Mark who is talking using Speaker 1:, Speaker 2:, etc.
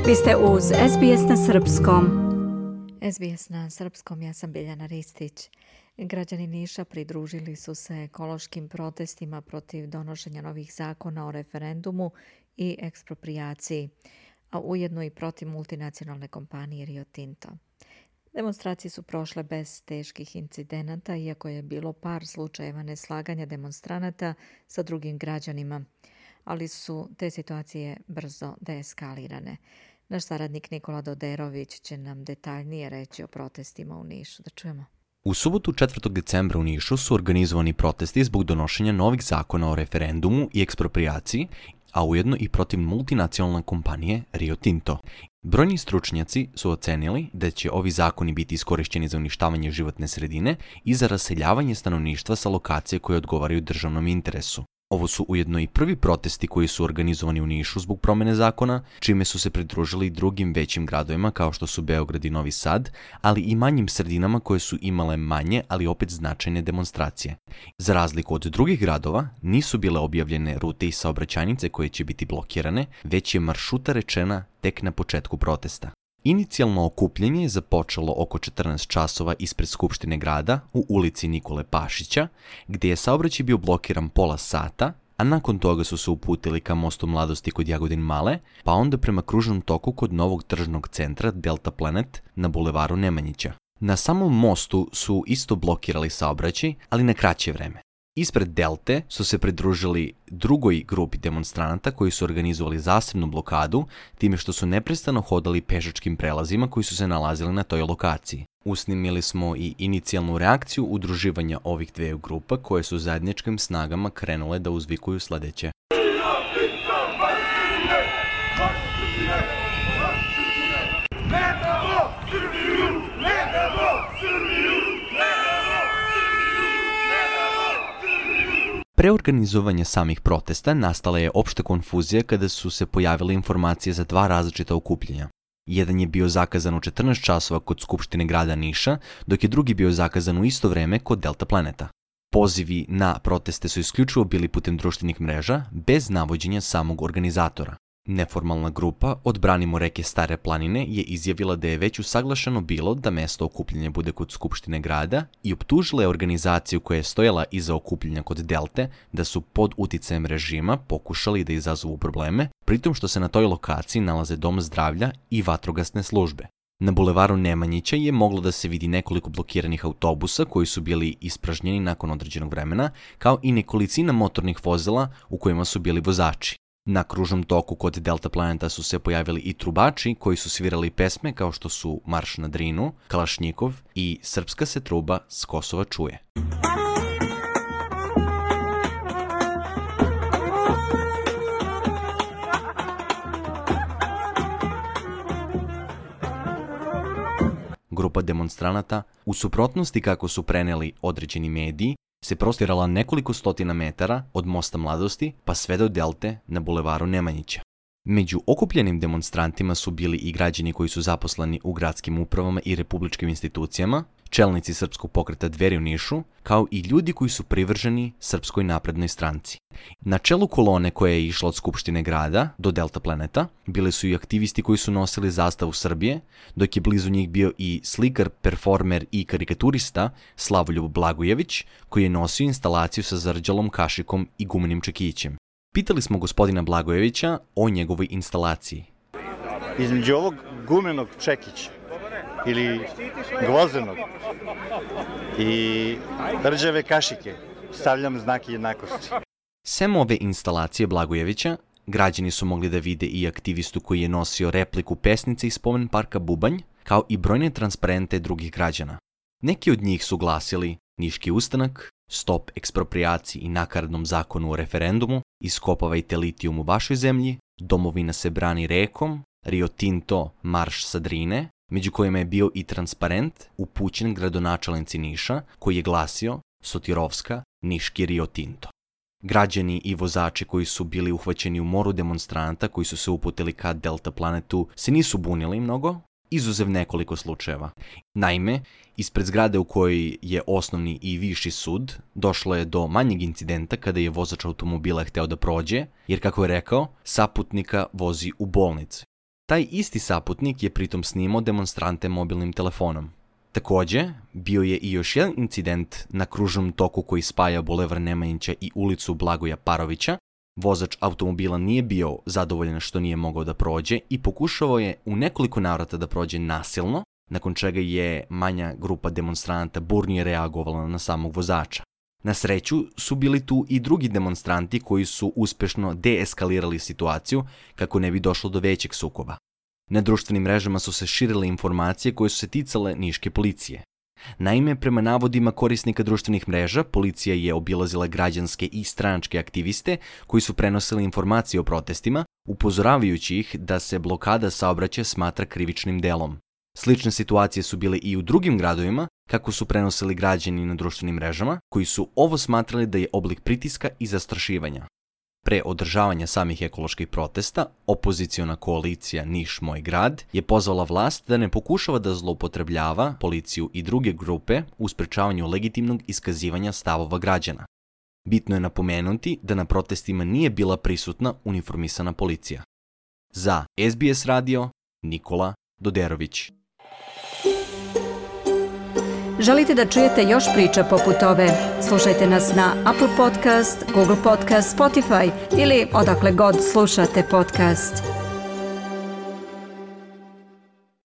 Speaker 1: Vi ste uz SBS na Srpskom.
Speaker 2: SBS na Srpskom, ja sam Biljana Ristić. Građani Niša pridružili su se ekološkim protestima protiv donošenja novih zakona o referendumu i eksproprijaciji, a ujedno i protiv multinacionalne kompanije Rio Tinto. Demonstracije su prošle bez teških incidenata, iako je bilo par slučajeva neslaganja demonstranata sa drugim građanima, ali su te situacije brzo deeskalirane. Naš saradnik Nikola Doderović će nam detaljnije reći o protestima u Nišu. Da čujemo.
Speaker 3: U subotu 4. decembra u Nišu su organizovani protesti zbog donošenja novih zakona o referendumu i eksproprijaciji, a ujedno i protiv multinacionalne kompanije Rio Tinto. Brojni stručnjaci su ocenili da će ovi zakoni biti iskorišćeni za uništavanje životne sredine i za raseljavanje stanovništva sa lokacije koje odgovaraju državnom interesu. Ovo su ujedno i prvi protesti koji su organizovani u Nišu zbog promene zakona, čime su se pridružili drugim većim gradovima kao što su Beograd i Novi Sad, ali i manjim sredinama koje su imale manje, ali opet značajne demonstracije. Za razliku od drugih gradova, nisu bile objavljene rute i saobraćajnice koje će biti blokirane, već je maršruta rečena tek na početku protesta. Inicijalno okupljanje je započelo oko 14 časova ispred Skupštine grada u ulici Nikole Pašića, gdje je saobraćaj bio blokiran pola sata, a nakon toga su se uputili ka Mostu Mladosti kod Jagodin Male, pa onda prema kružnom toku kod novog tržnog centra Delta Planet na bulevaru Nemanjića. Na samom mostu su isto blokirali saobraćaj, ali na kraće vreme. Ispred Delte su se pridružili drugoj grupi demonstranata koji su organizovali zasebnu blokadu, time što su neprestano hodali pešačkim prelazima koji su se nalazili na toj lokaciji. Usnimili smo i inicijalnu reakciju udruživanja ovih dveju grupa koje su zajedničkim snagama krenule da uzvikuju sledeće. Pre organizovanja samih protesta nastala je opšta konfuzija kada su se pojavile informacije za dva različita okupljanja. Jedan je bio zakazan u 14 časova kod Skupštine grada Niša, dok je drugi bio zakazan u isto vreme kod Delta Planeta. Pozivi na proteste su isključivo bili putem društvenih mreža, bez navođenja samog organizatora. Neformalna grupa Odbranimo reke Stare planine je izjavila da je već usaglašeno bilo da mesto okupljanja bude kod Skupštine grada i optužila je organizaciju koja je stojala iza okupljanja kod Delte da su pod uticajem režima pokušali da izazovu probleme, pritom što se na toj lokaciji nalaze dom zdravlja i vatrogasne službe. Na bulevaru Nemanjića je moglo da se vidi nekoliko blokiranih autobusa koji su bili ispražnjeni nakon određenog vremena, kao i nekolicina motornih vozila u kojima su bili vozači. Na kružnom toku kod Delta Planeta su se pojavili i trubači koji su svirali pesme kao što su Marš na Drinu, Kalašnjikov i Srpska se truba s Kosova čuje. Grupa demonstranata, u suprotnosti kako su preneli određeni mediji, se prostirala nekoliko stotina metara od Mosta Mladosti pa sve do Delte na bulevaru Nemanjića. Među okupljenim demonstrantima su bili i građani koji su zaposleni u gradskim upravama i republičkim institucijama, čelnici Srpskog pokreta Dveri u Nišu, kao i ljudi koji su privrženi Srpskoj naprednoj stranci. Na čelu kolone koja je išla od Skupštine grada do Delta Planeta bili su i aktivisti koji su nosili zastavu Srbije, dok je blizu njih bio i slikar, performer i karikaturista Slavoljub Blagojević, koji je nosio instalaciju sa zarđalom kašikom i gumenim čekićem. Pitali smo gospodina Blagojevića o njegovoj instalaciji.
Speaker 4: Između ovog gumenog čekića ili gvozenog i rđave kašike stavljam znak jednakosti.
Speaker 3: Sem ove instalacije Blagojevića, građani su mogli da vide i aktivistu koji je nosio repliku pesnice iz spomen parka Bubanj, kao i brojne transparente drugih građana. Neki od njih su glasili Niški ustanak, Stop eksproprijaciji i nakaradnom zakonu o referendumu, Iskopavajte litijum u vašoj zemlji, Domovina se brani rekom, Rio Tinto, Marš sa Drine, među kojima je bio i transparent upućen gradonačelnici Niša koji je glasio Sotirovska, Niški Rio Tinto. Građani i vozači koji su bili uhvaćeni u moru demonstranata koji su se uputili ka Delta Planetu se nisu bunili mnogo, izuzev nekoliko slučajeva. Naime, ispred zgrade u kojoj je osnovni i viši sud, došlo je do manjeg incidenta kada je vozač automobila hteo da prođe, jer kako je rekao, saputnika vozi u bolnicu. Taj isti saputnik je pritom snimao demonstrante mobilnim telefonom. Također, bio je i još jedan incident na kružnom toku koji spaja Bulevar Nemanjića i ulicu Blagoja Parovića. Vozač automobila nije bio zadovoljan što nije mogao da prođe i pokušavao je u nekoliko navrata da prođe nasilno, nakon čega je manja grupa demonstranata burnije reagovala na samog vozača. Na sreću su bili tu i drugi demonstranti koji su uspešno deeskalirali situaciju kako ne bi došlo do većeg sukoba. Na društvenim mrežama su se širile informacije koje su se ticale niške policije. Naime, prema navodima korisnika društvenih mreža, policija je obilazila građanske i stranačke aktiviste koji su prenosili informacije o protestima, upozoravajući ih da se blokada saobraćaja smatra krivičnim delom. Slične situacije su bile i u drugim gradovima, kako su prenosili građani na društvenim mrežama, koji su ovo smatrali da je oblik pritiska i zastrašivanja. Pre održavanja samih ekoloških protesta, opoziciona koalicija Niš moj grad je pozvala vlast da ne pokušava da zloupotrebljava policiju i druge grupe u sprečavanju legitimnog iskazivanja stavova građana. Bitno je napomenuti da na protestima nije bila prisutna uniformisana policija. Za SBS radio, Nikola Doderović.
Speaker 1: Želite da čujete još priča poput ove? Slušajte nas na Apple Podcast, Google Podcast, Spotify ili odakle god slušate podcast.